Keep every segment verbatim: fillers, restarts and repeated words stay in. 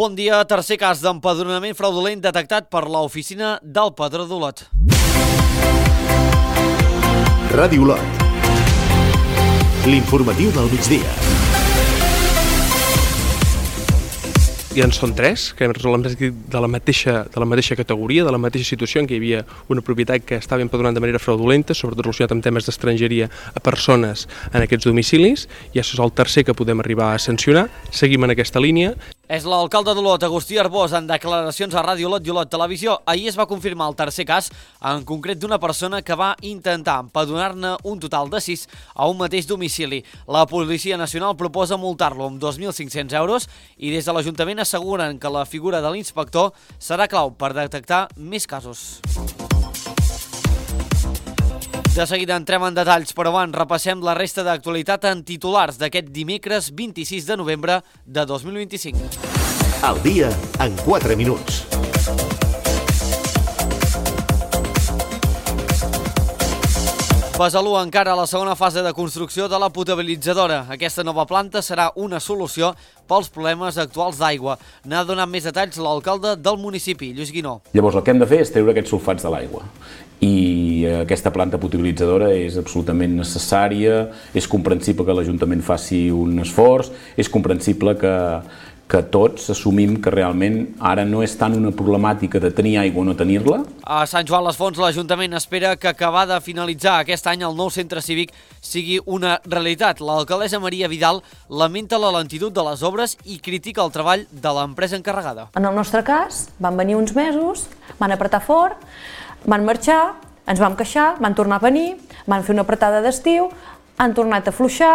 Bon dia, tercer cas d'empadronament fraudulent detectat per l'oficina del Padró d'Olot. Ràdio Olot. L'informatiu del migdia. I en són tres, que hem resolt de la mateixa, de la mateixa categoria, de la mateixa situació en què hi havia una propietat que estava empadronant de manera fraudulenta, sobretot relacionat amb temes d'estrangeria a persones en aquests domicilis, i això és el tercer que podem arribar a sancionar. Seguim en aquesta línia. És l'alcalde d'Olot, Agustí Arbós, en declaracions a Ràdio Olot i Olot Televisió. Ahir es va confirmar el tercer cas, en concret d'una persona que va intentar empadronar-ne un total de sis a un mateix domicili. La Policia Nacional proposa multar-lo amb dos mil cinc-cents euros i des de l'Ajuntament asseguren que la figura de l'inspector serà clau per detectar més casos. De seguida entrem en detalls, però abans repassem la resta d'actualitat en titulars d'aquest dimecres vint-i-sis de novembre de dos mil vint-i-cinc. El dia en quatre minuts. Besalú encara a la segona fase de construcció de la potabilitzadora. Aquesta nova planta serà una solució pels problemes actuals d'aigua. N'ha donat més detalls l'alcalde del municipi, Lluís Guinó. Llavors el que hem de fer és treure aquests sulfats de l'aigua. I aquesta planta potabilitzadora és absolutament necessària, és comprensible que l'Ajuntament faci un esforç, és comprensible que, que tots assumim que realment ara no és tant una problemàtica de tenir aigua o no tenir-la. A Sant Joan les Fonts l'Ajuntament espera que acabar de finalitzar aquest any el nou centre cívic sigui una realitat. L'alcaldessa Maria Vidal lamenta la lentitud de les obres i critica el treball de l'empresa encarregada. En el nostre cas van venir uns mesos, van apretar fort, van marxar, ens vam queixar, van tornar a venir, van fer una apretada d'estiu, han tornat a afluixar.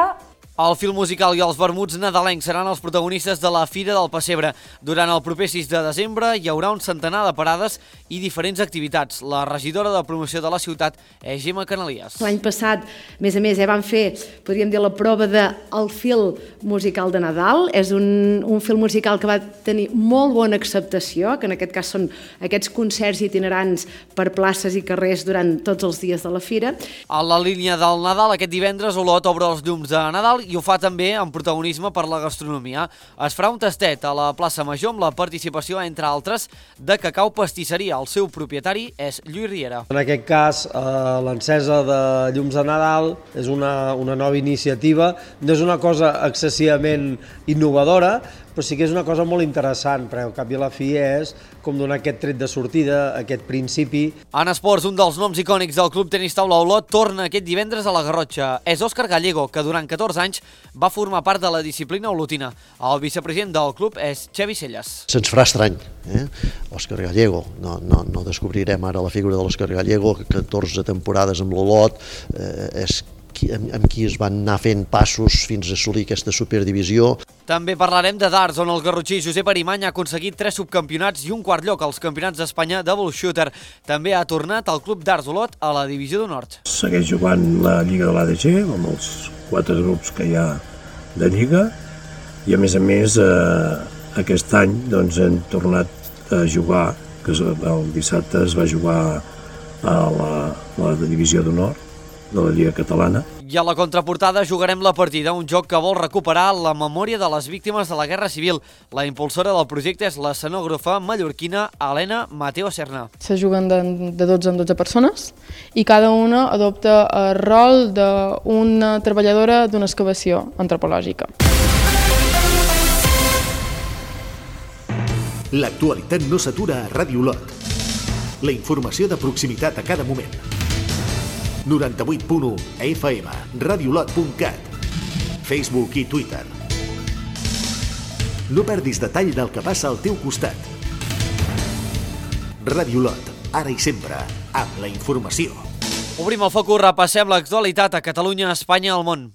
El fil musical i els vermuts nadalencs seran els protagonistes de la Fira del Pessebre. Durant el proper sis de desembre hi haurà un centenar de parades i diferents activitats. La regidora de promoció de la ciutat és Gemma Canalies. L'any passat, a més a més, eh, van fer, podríem dir, la prova del fil musical de Nadal. És un, un fil musical que va tenir molt bona acceptació, que en aquest cas són aquests concerts itinerants per places i carrers durant tots els dies de la Fira. A la línia del Nadal, aquest divendres, Olot obre els llums de Nadal i ho fa també amb protagonisme per la gastronomia. Es farà un tastet a la plaça Major amb la participació, entre altres, de Cacau Pastisseria. El seu propietari és Lluís Riera. En aquest cas, eh, l'encesa de llums de Nadal és una, una nova iniciativa. No és una cosa excessivament innovadora, però sí que és una cosa molt interessant, perquè al cap i a la fi és com donar aquest tret de sortida, aquest principi. En esports, un dels noms icònics del Club Tenis Taula Olot torna aquest divendres a la Garrotxa. És Òscar Gallego, que durant catorze anys va formar part de la disciplina olotina. El vicepresident del club és Xavi Celles. Se'ns farà estrany, eh? Òscar Gallego. No, no, no descobrirem ara la figura de l'Òscar Gallego, que catorze temporades amb l'Olot, eh, és amb, amb qui es van anar fent passos fins a assolir aquesta superdivisió. També parlarem de darts, on el garrotxí Josep Arimany ha aconseguit tres subcampionats i un quart lloc als Campionats d'Espanya de Bull Shooter. També ha tornat al Club Darts Olot a la Divisió d'Honor. Segueix jugant la Lliga de l'A D G, amb els quatre grups que hi ha de Lliga, i a més a més eh, aquest any doncs, hem tornat a jugar, que el dissabte es va jugar a la, la Divisió d'Honor de la Lliga Catalana. I a la contraportada jugarem La Partida, un joc que vol recuperar la memòria de les víctimes de la Guerra Civil. La impulsora del projecte és l'escenògrafa mallorquina Helena Mateo Serna. Se juguen de, de dotze en dotze persones i cada una adopta el rol d'una treballadora d'una excavació antropològica. L'actualitat no s'atura a Ràdio Olot. La informació de proximitat a cada moment. noranta-vuit punt u F M, radiolot punt cat, Facebook i Twitter. No perdis detall del que passa al teu costat. Ràdio Olot, ara i sempre, amb la informació. Obrim el focus, repassem l'actualitat a Catalunya, Espanya i al món.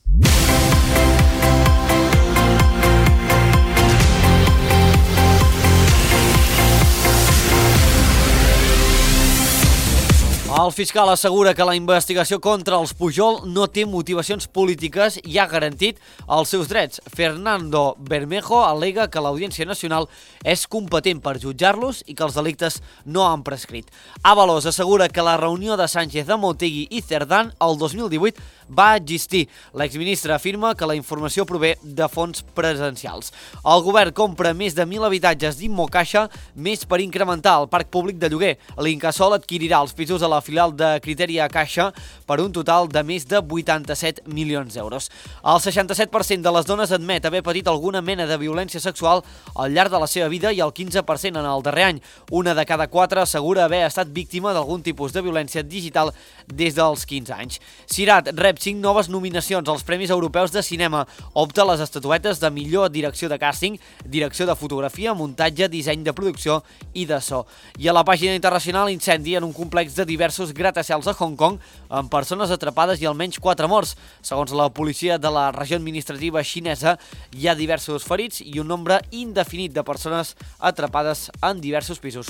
El fiscal assegura que la investigació contra els Pujol no té motivacions polítiques i ha garantit els seus drets. Fernando Bermejo al·lega que l'Audiència Nacional és competent per jutjar-los i que els delictes no han prescrit. Ábalos assegura que la reunió de Sánchez amb Otegi i Cerdán el dos mil divuit va existir. L'exministre afirma que la informació prové de fonts presencials. El govern compra més de mil habitatges d'Immocaixa, més per incrementar el parc públic de lloguer. L'Incasòl adquirirà els pisos a la filial de Criteria Caixa per un total de més de vuitanta-set milions d'euros. El seixanta-set per cent de les dones admet haver patit alguna mena de violència sexual al llarg de la seva vida i el quinze per cent en el darrer any. Una de cada quatre assegura haver estat víctima d'algun tipus de violència digital des dels quinze anys. Cirat rep cinc noves nominacions als Premis Europeus de Cinema. Opta a les estatuetes de millor direcció de càsting, direcció de fotografia, muntatge, disseny de producció i de so. I a la pàgina internacional, incendi en un complex de diversos gratacels a Hong Kong amb persones atrapades i almenys quatre morts. Segons la policia de la regió administrativa xinesa, hi ha diversos ferits i un nombre indefinit de persones atrapades en diversos pisos.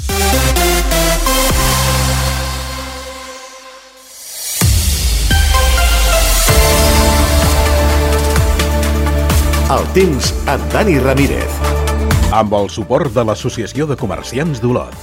El temps amb Dani Ramírez. Amb el suport de l'Associació de Comerciants d'Olot.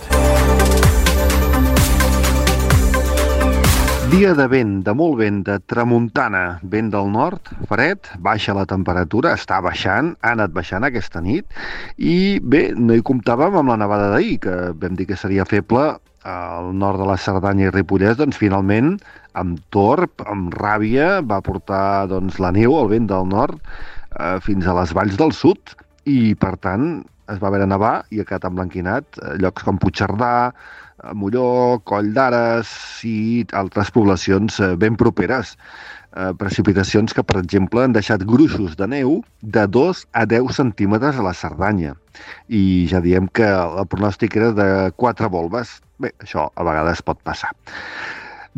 Dia de vent, de molt vent, de tramuntana, vent del nord, fred, baixa la temperatura, està baixant, ha anat baixant aquesta nit, i bé, no hi comptàvem amb la nevada d'ahir, que vam dir que seria feble al nord de la Cerdanya i Ripollès, doncs finalment, amb torb, amb ràbia, va portar doncs, la neu, el vent del nord, eh, fins a les valls del sud, i per tant es va haver de nevar i ha quedat emblanquinat llocs com Puigcerdà, Molló, Coll d'Ares i altres poblacions ben properes. Eh, precipitacions que, per exemple, han deixat gruixos de neu de dos a deu centímetres a la Cerdanya. I ja diem que el pronòstic era de quatre volves. Bé, això a vegades pot passar.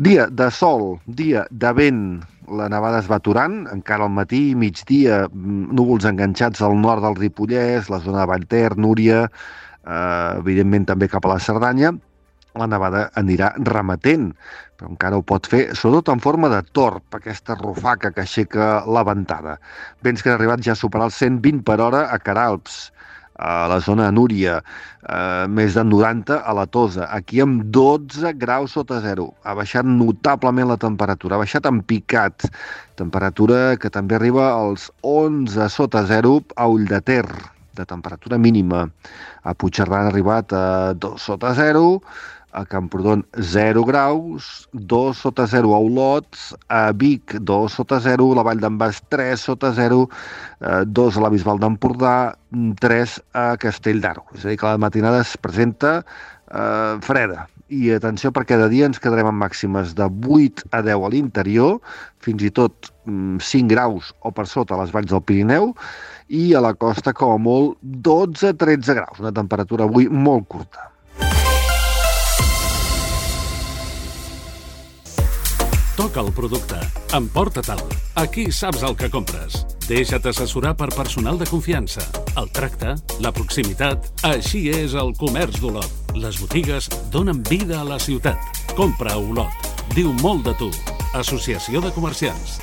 Dia de sol, dia de vent, la nevada es va aturant, encara al matí, migdia, núvols enganxats al nord del Ripollès, la zona de Vallter, Núria, eh, evidentment també cap a la Cerdanya. La nevada anirà remetent, però encara ho pot fer, sobretot en forma de torb, aquesta rufaca que aixeca la ventada. Vents que han arribat ja a superar els cent vint per hora a Queralbs, a la zona de Núria, eh, més de noranta a la Tosa, aquí amb dotze graus sota zero. Ha baixat notablement la temperatura, ha baixat en picat, temperatura que també arriba als onze sota zero a Ulldeter, de temperatura mínima. A Puigcerdà han arribat a dos sota zero, a Camprodon zero graus, dos sota zero a Olot, a Vic dos sota zero, la Vall d'en Bas tres sota zero, dos a la Bisbal d'Empordà, tres a Castell d'Aro. És a dir, que la matinada es presenta eh, freda. I atenció, perquè de dia ens quedarem amb màximes de vuit a deu a l'interior, fins i tot cinc graus o per sota a les valls del Pirineu, i a la costa com a molt dotze a tretze graus, una temperatura avui molt curta. Toca el producte. Emporta-te'l. Aquí saps el que compres. Deixa't assessorar per personal de confiança. El tracte, la proximitat... Així és el comerç d'Olot. Les botigues donen vida a la ciutat. Compra a Olot. Diu molt de tu. Associació de Comerciants.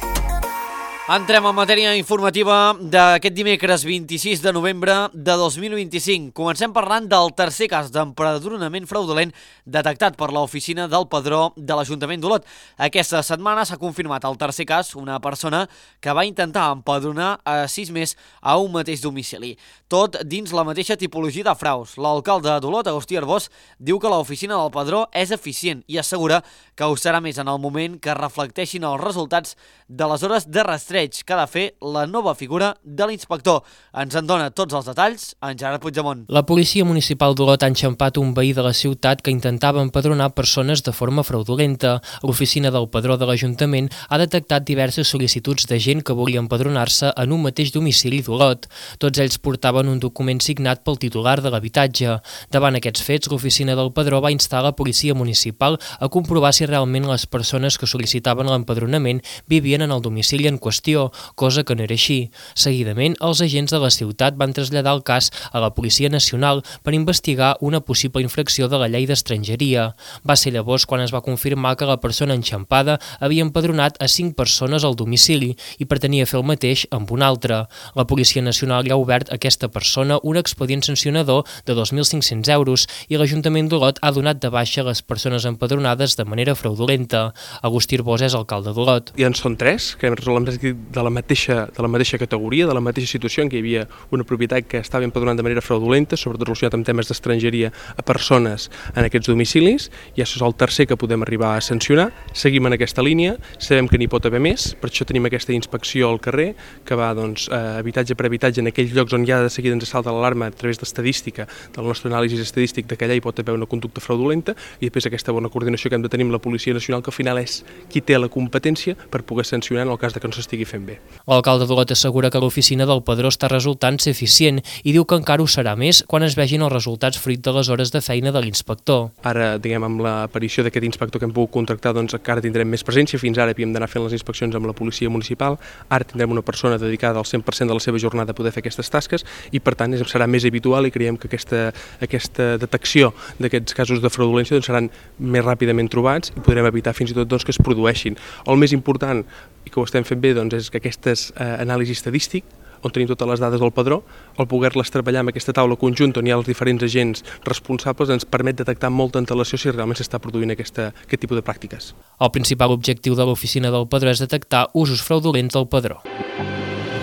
Entrem en matèria informativa d'aquest dimecres vint-i-sis de novembre de dos mil vint-i-cinc. Comencem parlant del tercer cas d'empadronament fraudulent detectat per l'oficina del Padró de l'Ajuntament d'Olot. Aquesta setmana s'ha confirmat el tercer cas, una persona que va intentar empadronar a sis més a un mateix domicili. Tot dins la mateixa tipologia de fraus. L'alcalde d'Olot, Agustí Arbós, diu que l'oficina del Padró és eficient i assegura que ho serà més en el moment que reflecteixin els resultats de les hores de rastreig que ha de fer la nova figura de l'inspector. Ens en dona tots els detalls en Gerard Puigdemont. La policia municipal d'Olot ha enxampat un veí de la ciutat que intentava empadronar persones de forma fraudulenta. L'oficina del Padró de l'Ajuntament ha detectat diverses sol·licituds de gent que volia empadronar-se en un mateix domicili d'Olot. Tots ells portaven un document signat pel titular de l'habitatge. Davant aquests fets, l'oficina del Padró va instar la policia municipal a comprovar si realment les persones que sol·licitaven l'empadronament vivien en el domicili en qüestió. gestió, cosa que no era així. Seguidament, els agents de la ciutat van traslladar el cas a la Policia Nacional per investigar una possible infracció de la llei d'estrangeria. Va ser llavors quan es va confirmar que la persona enxampada havia empadronat a cinc persones al domicili i pretenia fer el mateix amb una altra. La Policia Nacional ja ha obert a aquesta persona un expedient sancionador de dos mil cinc-cents euros i l'Ajuntament d'Olot ha donat de baixa les persones empadronades de manera fraudulenta. Agustí Arbós és alcalde d'Olot. I en són tres, que de la mateixa, de la mateixa categoria, de la mateixa situació en què hi havia una propietat que estava empadronant de manera fraudulenta, sobretot relacionat amb temes d'estrangeria a persones en aquests domicilis, i això és el tercer que podem arribar a sancionar. Seguim en aquesta línia, sabem que n'hi pot haver més, per això tenim aquesta inspecció al carrer, que va doncs, eh, habitatge per habitatge en aquells llocs on ja de seguida ens salta l'alarma a través d'estadística, del nostre anàlisi estadístic de que allà hi pot haver una conducta fraudulenta, i després aquesta bona coordinació que hem de tenir amb la Policia Nacional, que al final és qui té la competència per poder sancionar en el cas de que no s'estigui fent bé. L'alcalde d'Olot assegura que l'oficina del Padró està resultant ser eficient i diu que encara ho serà més quan es vegin els resultats fruit de les hores de feina de l'inspector. Ara, diguem, amb l'aparició d'aquest inspector que hem pogut contractar, doncs encara tindrem més presència. Fins ara havíem d'anar fent les inspeccions amb la policia municipal, ara tindrem una persona dedicada al cent per cent de la seva jornada a poder fer aquestes tasques i, per tant, serà més habitual i creiem que aquesta, aquesta detecció d'aquests casos de fraudulència doncs, seran més ràpidament trobats i podrem evitar fins i tot doncs, que es produeixin. El més important, i que ho estem fent bé, doncs, és que aquestes eh, anàlisi estadístic, on tenim totes les dades del padró, el poder-les treballar amb aquesta taula conjunta on hi ha els diferents agents responsables ens permet detectar amb molta antelació si realment s'està produint aquesta, aquest tipus de pràctiques. El principal objectiu de l'oficina del Padró és detectar usos fraudulents del padró.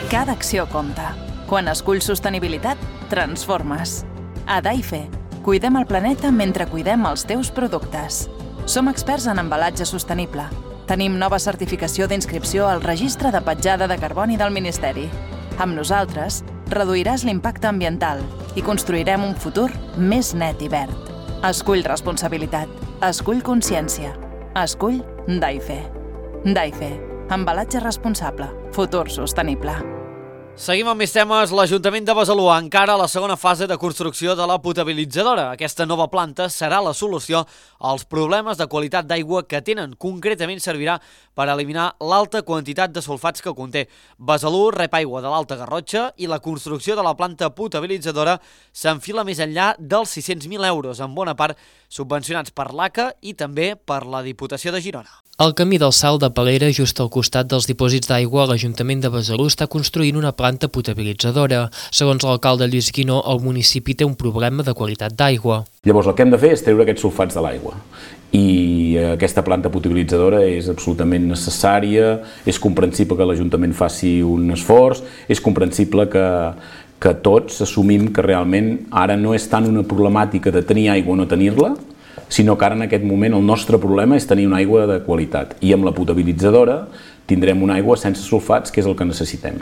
Cada acció compta. Quan esculls sostenibilitat, transformes. A Daife, cuidem el planeta mentre cuidem els teus productes. Som experts en embalatge sostenible. Tenim nova certificació d'inscripció al Registre de Petjada de Carboni del Ministeri. Amb nosaltres, reduiràs l'impacte ambiental i construirem un futur més net i verd. Escull responsabilitat. Escull consciència. Escull Daife. Daife. Embalatge responsable. Futur sostenible. Seguim amb més temes. L'Ajuntament de Besalú encara a la segona fase de construcció de la potabilitzadora. Aquesta nova planta serà la solució als problemes de qualitat d'aigua que tenen. Concretament servirà per eliminar l'alta quantitat de sulfats que conté. Besalú rep aigua de l'Alta Garrotxa i la construcció de la planta potabilitzadora s'enfila més enllà dels sis-cents mil euros, en bona part subvencionats per l'A C A i també per la Diputació de Girona. Al camí del Salt de Palera, just al costat dels dipòsits d'aigua, l'Ajuntament de Besalú està construint una planta potabilitzadora. Segons l'alcalde Lluís Guinó, el municipi té un problema de qualitat d'aigua. Llavors el que hem de fer és treure aquests sulfats de l'aigua. I aquesta planta potabilitzadora és absolutament necessària, és comprensible que l'Ajuntament faci un esforç, és comprensible que, que tots assumim que realment ara no és tant una problemàtica de tenir aigua o no tenir-la, sinó que ara en aquest moment el nostre problema és tenir una aigua de qualitat. I amb la potabilitzadora tindrem una aigua sense sulfats, que és el que necessitem.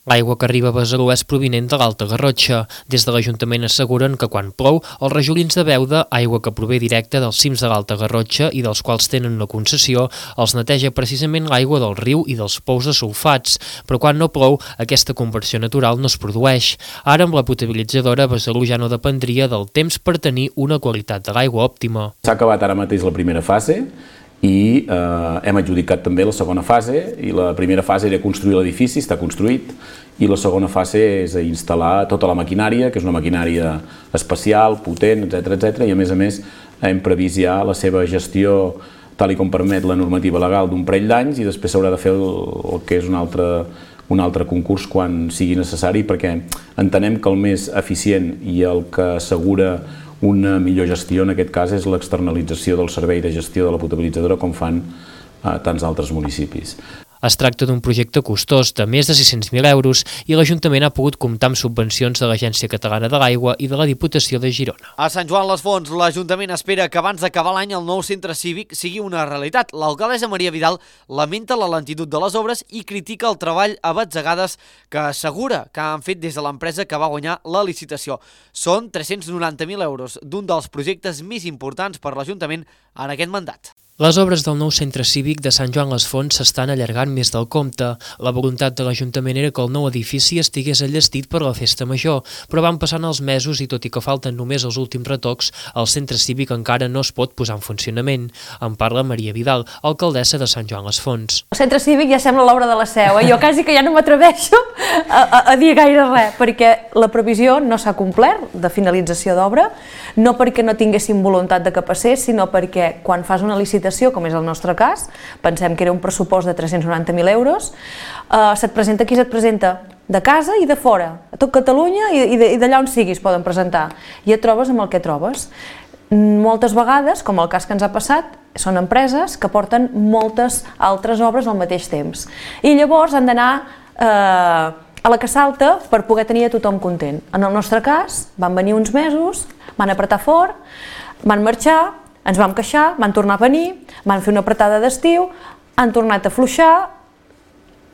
L'aigua que arriba a Besalú és provinent de l'Alta Garrotxa. Des de l'Ajuntament asseguren que quan plou, els rajolins de Beuda, aigua que prové directa dels cims de l'Alta Garrotxa i dels quals tenen una concessió, els neteja precisament l'aigua del riu i dels pous de sulfats, però quan no plou, aquesta conversió natural no es produeix. Ara, amb la potabilitzadora, Besalú ja no dependria del temps per tenir una qualitat de l'aigua òptima. S'ha acabat ara mateix la primera fase, i eh, hem adjudicat també la segona fase, i la primera fase era construir l'edifici, està construït, i la segona fase és instal·lar tota la maquinària, que és una maquinària especial, potent, etcètera, etcètera, i a més a més hem previst ja la seva gestió tal i com permet la normativa legal d'un parell d'anys, i després s'haurà de fer el, el que és un altre, un altre concurs quan sigui necessari, perquè entenem que el més eficient i el que assegura una millor gestió, en aquest cas, és l'externalització del servei de gestió de la potabilitzadora com fan a tants altres municipis. Es tracta d'un projecte costós de més de sis-cents mil euros i l'Ajuntament ha pogut comptar amb subvencions de l'Agència Catalana de l'Aigua i de la Diputació de Girona. A Sant Joan les Fonts, l'Ajuntament espera que abans d'acabar l'any el nou centre cívic sigui una realitat. L'alcaldessa Maria Vidal lamenta la lentitud de les obres i critica el treball a batzegades que assegura que han fet des de l'empresa que va guanyar la licitació. Són tres-cents noranta mil euros d'un dels projectes més importants per l'Ajuntament en aquest mandat. Les obres del nou centre cívic de Sant Joan les Fonts s'estan allargant més del compte. La voluntat de l'Ajuntament era que el nou edifici estigués enllestit per la festa major, però van passant els mesos i tot i que falten només els últims retocs, el centre cívic encara no es pot posar en funcionament. En parla Maria Vidal, alcaldessa de Sant Joan les Fonts. El centre cívic ja sembla l'obra de la Seu, eh? Jo quasi que ja no m'atreveixo a, a, a dir gaire res, perquè la previsió no s'ha complert de finalització d'obra, no perquè no tinguéssim voluntat de que passés, sinó perquè quan fas una licitació, com és el nostre cas, pensem que era un pressupost de tres-cents noranta mil euros, eh, se't presenta qui se't presenta, de casa i de fora, a tot Catalunya i, i d'allà on siguis poden presentar, i et trobes amb el que trobes. Moltes vegades, com el cas que ens ha passat, són empreses que porten moltes altres obres al mateix temps, i llavors han d'anar eh, a la que salta per poder tenir a tothom content. En el nostre cas, van venir uns mesos, van apretar fort, van marxar, ens vam queixar, van tornar a venir, van fer una apretada d'estiu, han tornat a afluixar.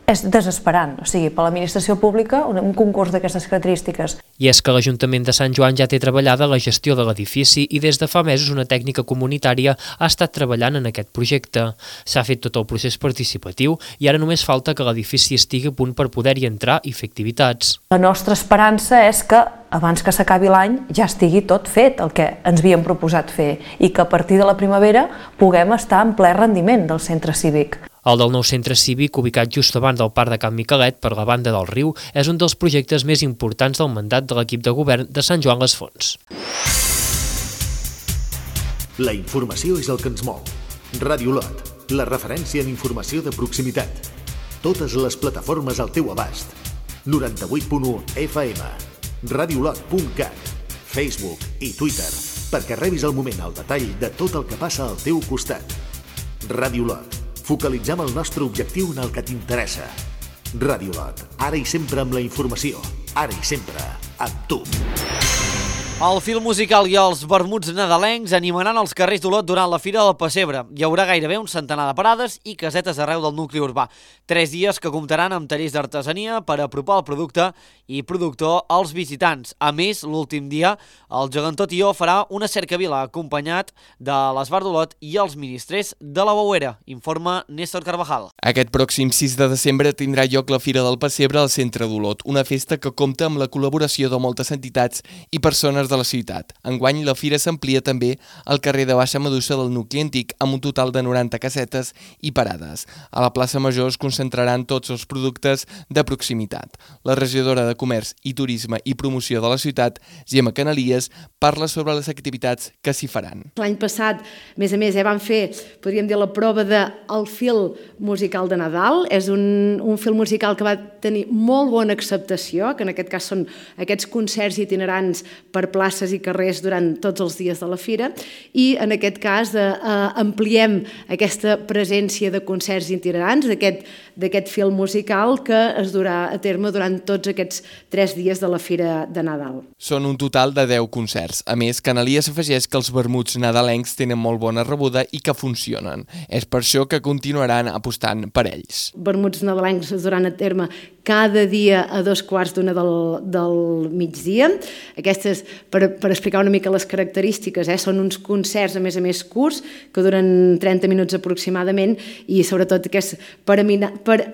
És desesperant, o sigui, per l'administració pública, un concurs d'aquestes característiques. I és que l'Ajuntament de Sant Joan ja té treballada la gestió de l'edifici i des de fa mesos una tècnica comunitària ha estat treballant en aquest projecte. S'ha fet tot el procés participatiu i ara només falta que l'edifici estigui a punt per poder-hi entrar i fer activitats. La nostra esperança és que abans que s'acabi l'any ja estigui tot fet, el que ens havíem proposat fer, i que a partir de la primavera puguem estar en ple rendiment del centre cívic. El del nou centre cívic, ubicat just davant del Parc de Can Miquelet, per la banda del riu, és un dels projectes més importants del mandat de l'equip de govern de Sant Joan les Fonts. La informació és el que ens mou. Ràdio Lot, la referència en informació de proximitat. Totes les plataformes al teu abast. noranta-vuit punt u F M, radiolot punt cat, Facebook i Twitter, perquè rebis al moment el detall de tot el que passa al teu costat. Ràdio Lot. Focalitzem el nostre objectiu en el que t'interessa. Ràdio Lot, ara i sempre amb la informació, ara i sempre amb tu. El film musical i els vermuts nadalencs animaran els carrers d'Olot durant la Fira del Pessebre. Hi haurà gairebé un centenar de parades i casetes arreu del nucli urbà. Tres dies que comptaran amb tallers d'artesania per apropar el producte i productor als visitants. A més, l'últim dia, el gegantó Tió farà una cercavila acompanyat de l'Esbar d'Olot i els ministrers de la Bouera, informa Néstor Carvajal. Aquest pròxim sis de desembre tindrà lloc la Fira del Pessebre al centre d'Olot, una festa que compta amb la col·laboració de moltes entitats i persones de la ciutat. Enguany, la fira s'amplia també al carrer de Baixa Medusa del nucli antic amb un total de noranta casetes i parades. A la plaça Major es concentraran tots els productes de proximitat. La regidora de Comerç i Turisme i Promoció de la ciutat, Gemma Canalies, parla sobre les activitats que s'hi faran. L'any passat, a més a més, eh, vam fer, podríem dir, la prova del film musical de Nadal. És un, un film musical que va tenir molt bona acceptació, que en aquest cas són aquests concerts itinerants per places i carrers durant tots els dies de la fira, i en aquest cas eh, ampliem aquesta presència de concerts itinerants, d'aquest film musical que es durà a terme durant tots aquests tres dies de la Fira de Nadal. Són un total de deu concerts. A més, Canalies afegeix que els vermuts nadalencs tenen molt bona rebuda i que funcionen. És per això que continuaran apostant per ells. Vermuts nadalencs es duran a terme cada dia a dos quarts d'una del, del migdia. Aquestes, per, per explicar una mica les característiques, eh, són uns concerts a més a més curts que duren trenta minuts aproximadament i sobretot que és per, amina, per eh,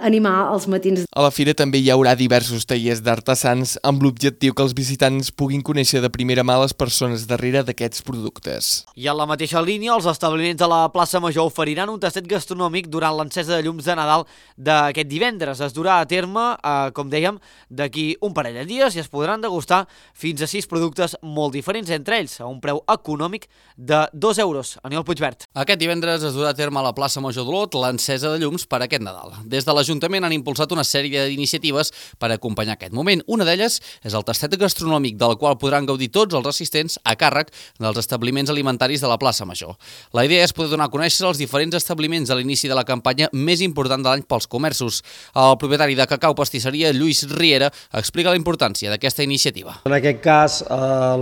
animar els matins. A la fira també hi haurà diversos tallers d'artesans amb l'objectiu que els visitants puguin conèixer de primera mà les persones darrere d'aquests productes. I en la mateixa línia, els establiments de la plaça Major oferiran un tastet gastronòmic durant l'encesa de llums de Nadal d'aquest divendres. Es durà a terme Eh, com dèiem, d'aquí un parell de dies i es podran degustar fins a sis productes molt diferents entre ells, a un preu econòmic de dos euros. Aniol Puigvert. Aquest divendres es durà a terme a la plaça Major d'Olot l'encesa de llums per aquest Nadal. Des de l'Ajuntament han impulsat una sèrie d'iniciatives per acompanyar aquest moment. Una d'elles és el tastet gastronòmic, del qual podran gaudir tots els assistents a càrrec dels establiments alimentaris de la plaça Major. La idea és poder donar a conèixer els diferents establiments a l'inici de la campanya més important de l'any pels comerços. El propietari de Cacau Pastisseria, Lluís Riera, explica la importància d'aquesta iniciativa. En aquest cas, eh,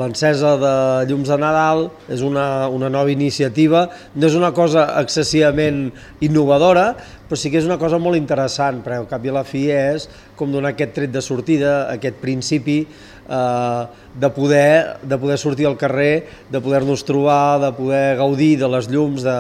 l'encesa de llums de Nadal és una, una nova iniciativa. No és una cosa excessivament innovadora, però sí que és una cosa molt interessant, perquè al cap i a la fi és com donar aquest tret de sortida, aquest principi eh, de, poder, de poder sortir al carrer, de poder-nos trobar, de poder gaudir de les llums, de,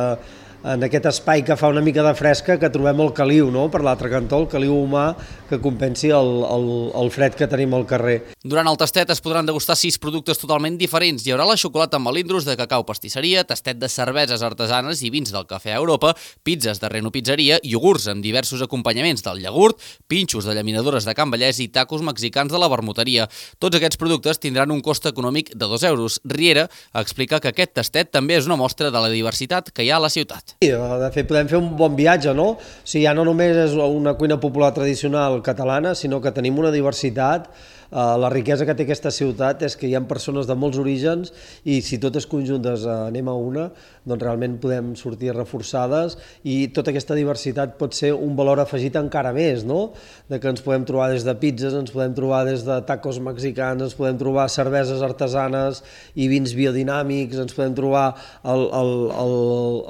en aquest espai que fa una mica de fresca que trobem el caliu, no? Per l'altre cantó, el caliu humà que compensi el, el, el fred que tenim al carrer. Durant el tastet es podran degustar sis productes totalment diferents. Hi haurà la xocolata amb melindros de cacau pastisseria, tastet de cerveses artesanes i vins del cafè a Europa, pizzas de Reno Pizzeria, iogurts amb diversos acompanyaments del iogurt, pinxos de llaminadores de Can Vallès i tacos mexicans de la vermuteria. Tots aquests productes tindran un cost econòmic de dos euros. Riera explica que aquest tastet també és una mostra de la diversitat que hi ha a la ciutat. Sí, de fet, podem fer un bon viatge, no? O sigui, ja no només és una cuina popular tradicional catalana, sinó que tenim una diversitat. La riquesa que té aquesta ciutat és que hi ha persones de molts orígens i si totes conjuntes anem a una, doncs realment podem sortir reforçades i tota aquesta diversitat pot ser un valor afegit encara més, no? De que ens podem trobar des de pizzas, ens podem trobar des de tacos mexicans, ens podem trobar cerveses artesanes i vins biodinàmics, ens podem trobar el, el, el,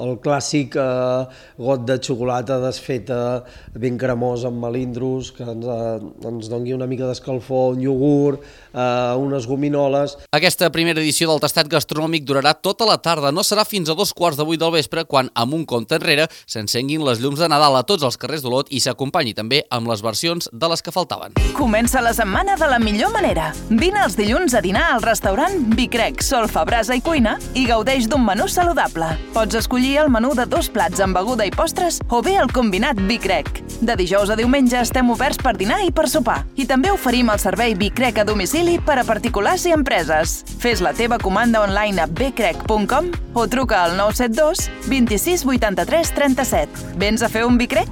el clàssic eh, got de xocolata desfeta, ben cremós amb melindros, que ens, eh, ens doni una mica d'escalfor, un iogurt, eh, unes gominoles. Aquesta primera edició del tastat gastronòmic durarà tota la tarda. No serà fins a dos quarts de vuit del vespre quan, amb un compte enrere, s'encenguin les llums de Nadal a tots els carrers d'Olot i s'acompanyi també amb les versions de les que faltaven. Comença la setmana de la millor manera. Vine els dilluns a dinar al restaurant Vicrec, Solfa, Brasa i Cuina i gaudeix d'un menú saludable. Pots escollir el menú de dos plats amb beguda i postres o bé el combinat Vicrec. De dijous a diumenge estem oberts per dinar i per sopar. I també oferim el servei Vicrec a domicili per a particulars i empreses. Fes la teva comanda online a becrec punt com o truca al nou set dos vint-i-sis vuitanta-tres trenta-set. Vens a fer un Vicrec?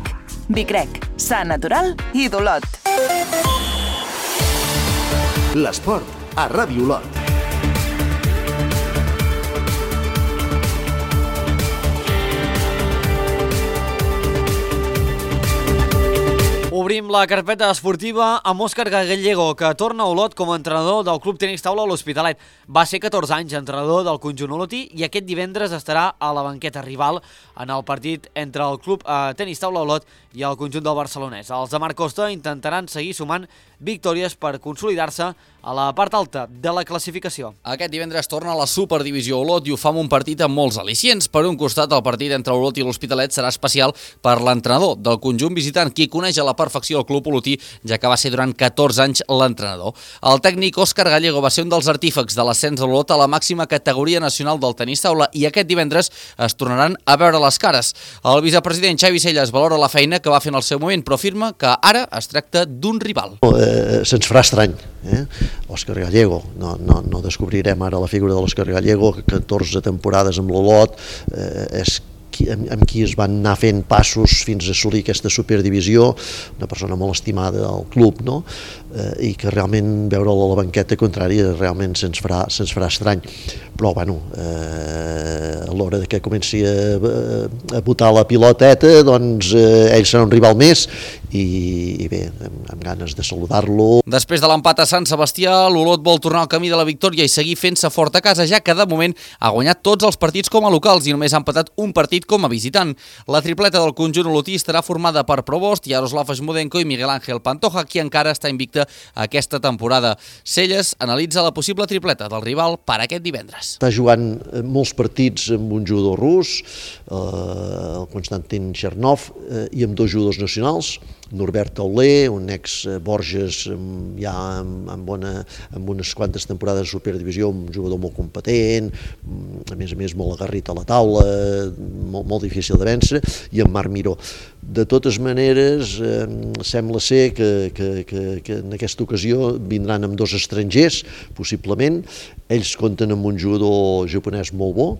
Vicrec, sa, natural i d'Olot. L'esport a Ràdio Olot. Obrim la carpeta esportiva amb Òscar Gallego, que torna a Olot com a entrenador del Club Tenis Taula a l'Hospitalet. Va ser catorze anys entrenador del conjunt olotí i aquest divendres estarà a la banqueta rival en el partit entre el Club eh, Tenis Taula Olot i el conjunt del barcelonès. Els de Marc Costa intentaran seguir sumant victòries per consolidar-se a la part alta de la classificació. Aquest divendres torna a la Superdivisió Olot i ho fa amb un partit amb molts al·licients. Per un costat, el partit entre Olot i l'Hospitalet serà especial per l'entrenador del conjunt visitant, qui coneix a la perfecció el club olotí, ja que va ser durant catorze anys l'entrenador. El tècnic Òscar Gallego va ser un dels artífecs de l'ascens de l'Olot a la màxima categoria nacional del tenis taula i aquest divendres es tornaran a veure les cares. El vicepresident Xavi Celles valora la feina que va fer en el seu moment, però afirma que ara es tracta d'un rival. Eh, se'ns farà estrany, eh? Òscar Gallego, no, no, no descobrirem ara la figura de l'Òscar Gallego, que catorze temporades amb l'Olot, eh, és amb, amb qui es van anar fent passos fins a assolir aquesta superdivisió, una persona molt estimada al club, no? Eh, i que realment veure-la a la banqueta contrària realment se'ns farà, se'ns farà estrany. Però, bueno, eh, a l'hora que comenci a, a botar la piloteta, doncs eh, ell serà un rival més i, i bé, amb, amb ganes de saludar-lo. Després de l'empat a Sant Sebastià, l'Olot vol tornar al camí de la victòria i seguir fent-se fort a casa, ja que de moment ha guanyat tots els partits com a locals i només ha empatat un partit com a visitant. La tripleta del conjunt olotí estarà formada per Provost, Yaroslav Smudenko i Miguel Ángel Pantoja, qui encara està invicta aquesta temporada. Celles analitza la possible tripleta del rival per aquest divendres. Està jugant molts partits amb un jugador rus, eh, el Konstantin Chernov, eh, i amb dos jugadors nacionals, Norbert Auler, un ex-Borges ja amb, amb, bona, amb unes quantes temporades de Superdivisió, un jugador molt competent, a més a més molt agarrit a la taula, molt, molt difícil de vèncer, i en Marc Miró. De totes maneres, eh, sembla ser que, que, que, que en aquesta ocasió vindran amb dos estrangers, possiblement. Ells compten amb un jugador japonès molt bo,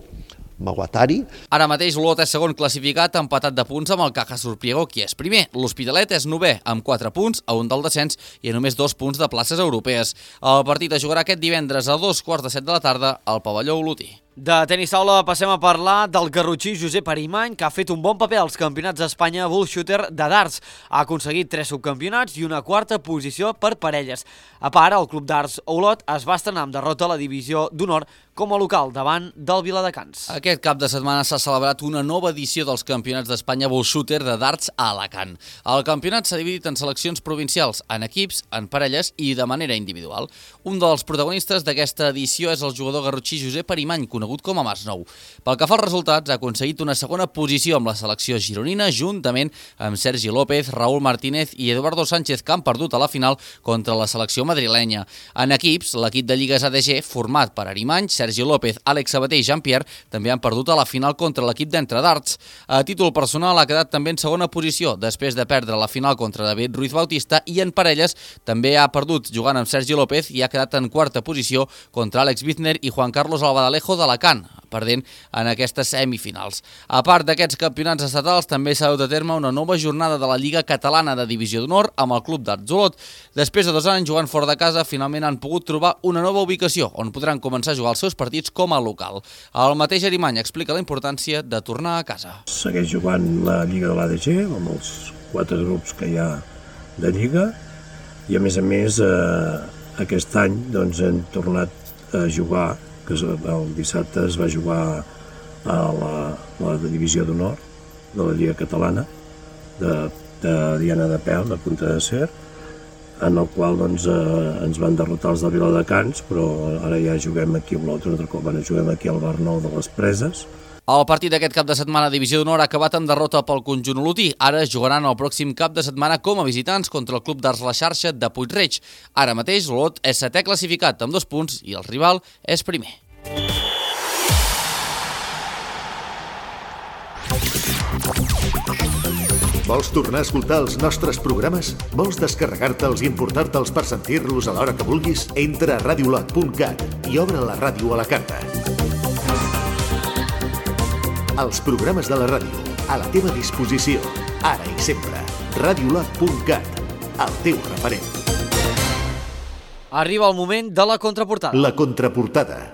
Mawatari. Ara mateix l'Olot és segon classificat, empatat de punts amb el Caja Surpriego, qui és primer. L'Hospitalet és novè, amb quatre punts, a un del descens i a només dos punts de places europees. El partit es jugarà aquest divendres a dos quarts de set de la tarda al pavelló olotí. De tenis taula passem a parlar del garrotxí Josep Arimany, que ha fet un bon paper als campionats d'Espanya Bull Shooter de darts. Ha aconseguit tres subcampionats i una quarta posició per parelles. A part, el Club Darts Olot es va estrenar amb derrota a la divisió d'honor com a local davant del Viladecans. Aquest cap de setmana s'ha celebrat una nova edició dels Campionats d'Espanya Bull Shooter de darts a Alacant. El campionat s'ha dividit en seleccions provincials, en equips, en parelles i de manera individual. Un dels protagonistes d'aquesta edició és el jugador garrotxí Josep Arimany, conegut com a Masnou. Pel que fa als resultats, ha aconseguit una segona posició amb la selecció gironina, juntament amb Sergi López, Raúl Martínez i Eduardo Sánchez, que han perdut a la final contra la selecció madrilenya. En equips, l'equip de Lligues A D G, format per Arimany, Sergi López, Àlex Sabater i Jean-Pierre, també han perdut a la final contra l'equip d'Entre Darts. A títol personal ha quedat també en segona posició, després de perdre la final contra David Ruiz Bautista, i en parelles també ha perdut jugant amb Sergi López i ha quedat en quarta posició contra Àlex Bizner i Juan Carlos Albadalejo d'Alacant, perdent en aquestes semifinals. A part d'aquests campionats estatals, també s'ha dut a terme una nova jornada de la Lliga Catalana de Divisió d'Honor amb el Club d'Arts Olot. Després de dos anys jugant fora de casa, finalment han pogut trobar una nova ubicació on podran començar a jugar els seus partits com a local. El mateix Arimany explica la importància de tornar a casa. Segueix jugant la Lliga de l'A D G amb els quatre grups que hi ha de Lliga i a més a més eh, aquest any doncs, hem tornat a jugar, que el dissabte es va jugar a la, la Divisió d'Honor de la Lliga Catalana de, de Diana de Peu, de Punta de Cer, en el qual doncs, eh, ens van derrotar els de Viladecans, però ara ja juguem aquí amb l'altre, un altre cop ara juguem aquí al Bar Nou de les Preses. El partit d'aquest cap de setmana a Divisió d'Honor ha acabat amb derrota pel conjunt olotí. Ara es jugaran el pròxim cap de setmana com a visitants contra el Club d'Arts La Xarxa de Puig-reig. Ara mateix l'Olot és setè classificat amb dos punts i el rival és primer. Vols tornar a escoltar els nostres programes? Vols descarregar-te'ls i importar-te'ls per sentir-los a l'hora que vulguis? Entra a radiolot punt cat i obre la ràdio a la carta. Els programes de la ràdio, a la teva disposició, ara i sempre. radiolot punt cat, el teu referent. Arriba el moment de la contraportada. La contraportada.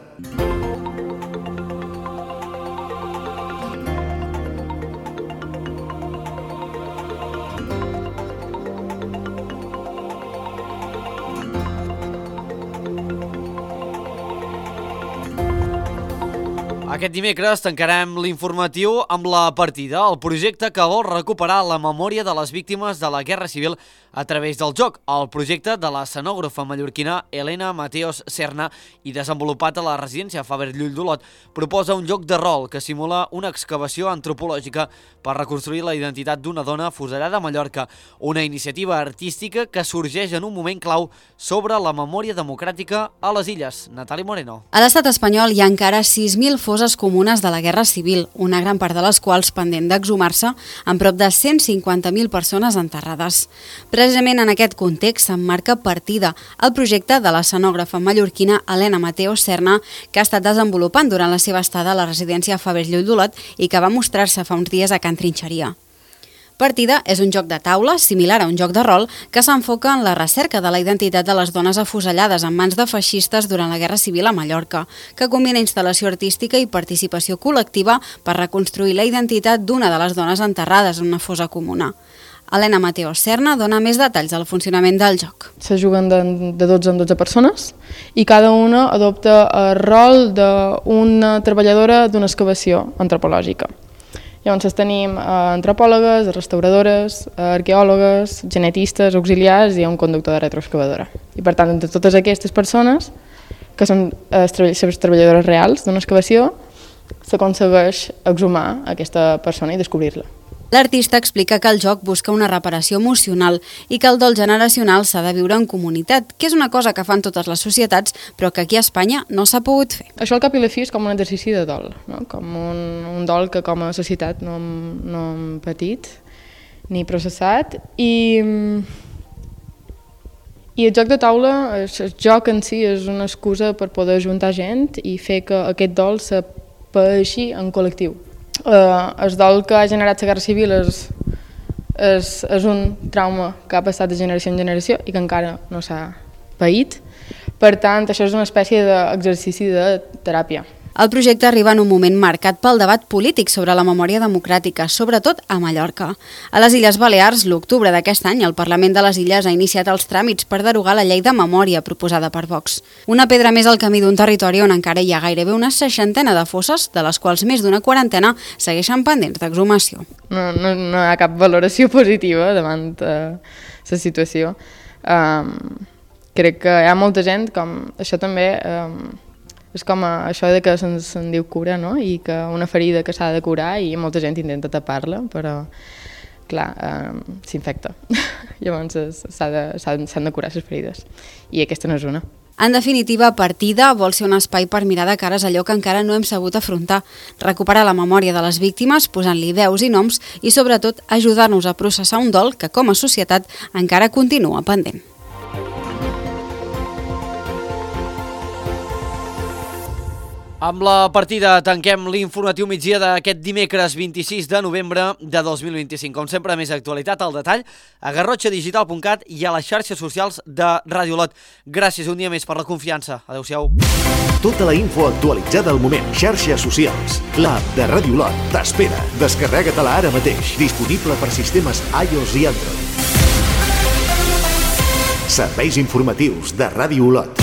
Aquest dimecres tancarem l'informatiu amb la partida, el projecte que vol recuperar la memòria de les víctimes de la Guerra Civil a través del joc. El projecte de la escenògrafa mallorquina Elena Mateos Serna i desenvolupat a la residència Faber Llull d'Olot proposa un joc de rol que simula una excavació antropològica per reconstruir la identitat d'una dona fuselada a Mallorca, una iniciativa artística que sorgeix en un moment clau sobre la memòria democràtica a les illes. Natàlia Moreno. A l'estat espanyol hi ha encara sis mil fosses comunes de la Guerra Civil, una gran part de les quals pendent d'exhumar-se, amb prop de cent cinquanta mil persones enterrades. Precisament en aquest context s'emmarca Partida, el projecte de l'escenògrafa mallorquina Elena Mateos Serna, que ha estat desenvolupant durant la seva estada a la residència Faber Llull d'Olot i que va mostrar-se fa uns dies a Can Trinxeria. Partida és un joc de taula, similar a un joc de rol, que s'enfoca en la recerca de la identitat de les dones afusellades en mans de feixistes durant la Guerra Civil a Mallorca, que combina instal·lació artística i participació col·lectiva per reconstruir la identitat d'una de les dones enterrades en una fossa comuna. Elena Mateos Serna dona més detalls del funcionament del joc. Se juguen de, de dotze en dotze persones i cada una adopta el rol d'una treballadora d'una excavació antropològica. Llavors tenim eh, antropòlogues, restauradores, arqueòlogues, genetistes, auxiliars i un conductor de retroexcavadora. I per tant, entre totes aquestes persones, que són eh, les treballadores reals d'una excavació, s'aconsegueix exhumar aquesta persona i descobrir-la. L'artista explica que el joc busca una reparació emocional i que el dol generacional s'ha de viure en comunitat, que és una cosa que fan totes les societats, però que aquí a Espanya no s'ha pogut fer. Això al cap i la fi és com un exercici de dol, no? Com un, un dol que com a societat no hem, no hem patit ni processat. I, I el joc de taula, el joc en si és una excusa per poder ajuntar gent i fer que aquest dol se paeixi en col·lectiu. Uh, el dol que ha generat la Guerra Civil és, és, és un trauma que ha passat de generació en generació i que encara no s'ha paït. Per tant, això és una espècie d'exercici de teràpia El projecte arriba en un moment marcat pel debat polític sobre la memòria democràtica, sobretot a Mallorca. A les Illes Balears, l'octubre d'aquest any, el Parlament de les Illes ha iniciat els tràmits per derogar la llei de memòria proposada per Vox. Una pedra més al camí d'un territori on encara hi ha gairebé una seixantena de fosses, de les quals més d'una quarantena segueixen pendents d'exhumació. No, no, no hi ha cap valoració positiva davant uh, la situació. Um, crec que hi ha molta gent, com això també... Um, és com això de que se'n se diu cura, no? I que una ferida que s'ha de curar i molta gent intenta tapar-la, però clar, eh, s'infecta. Llavors s'han de, de curar les ferides i aquesta no és una. En definitiva, Partida vol ser un espai per mirar de cares allò que encara no hem sabut afrontar, recuperar la memòria de les víctimes posant-li veus i noms i sobretot ajudar-nos a processar un dol que com a societat encara continua pendent. Amb la partida tanquem l'informatiu migdia d'aquest dimecres vint-i-sis de novembre de dos mil vint-i-cinc. Com sempre, més actualitat al detall a garrotxa digital punt cat i a les xarxes socials de Ràdio Olot. Gràcies un dia més per la confiança. Adéu-siau. Tota la info actualitzada al moment. Xarxes socials. L'app de Ràdio Olot t'espera. Descarrega-te-la ara mateix. Disponible per sistemes iOS i Android. Serveis informatius de Ràdio Olot.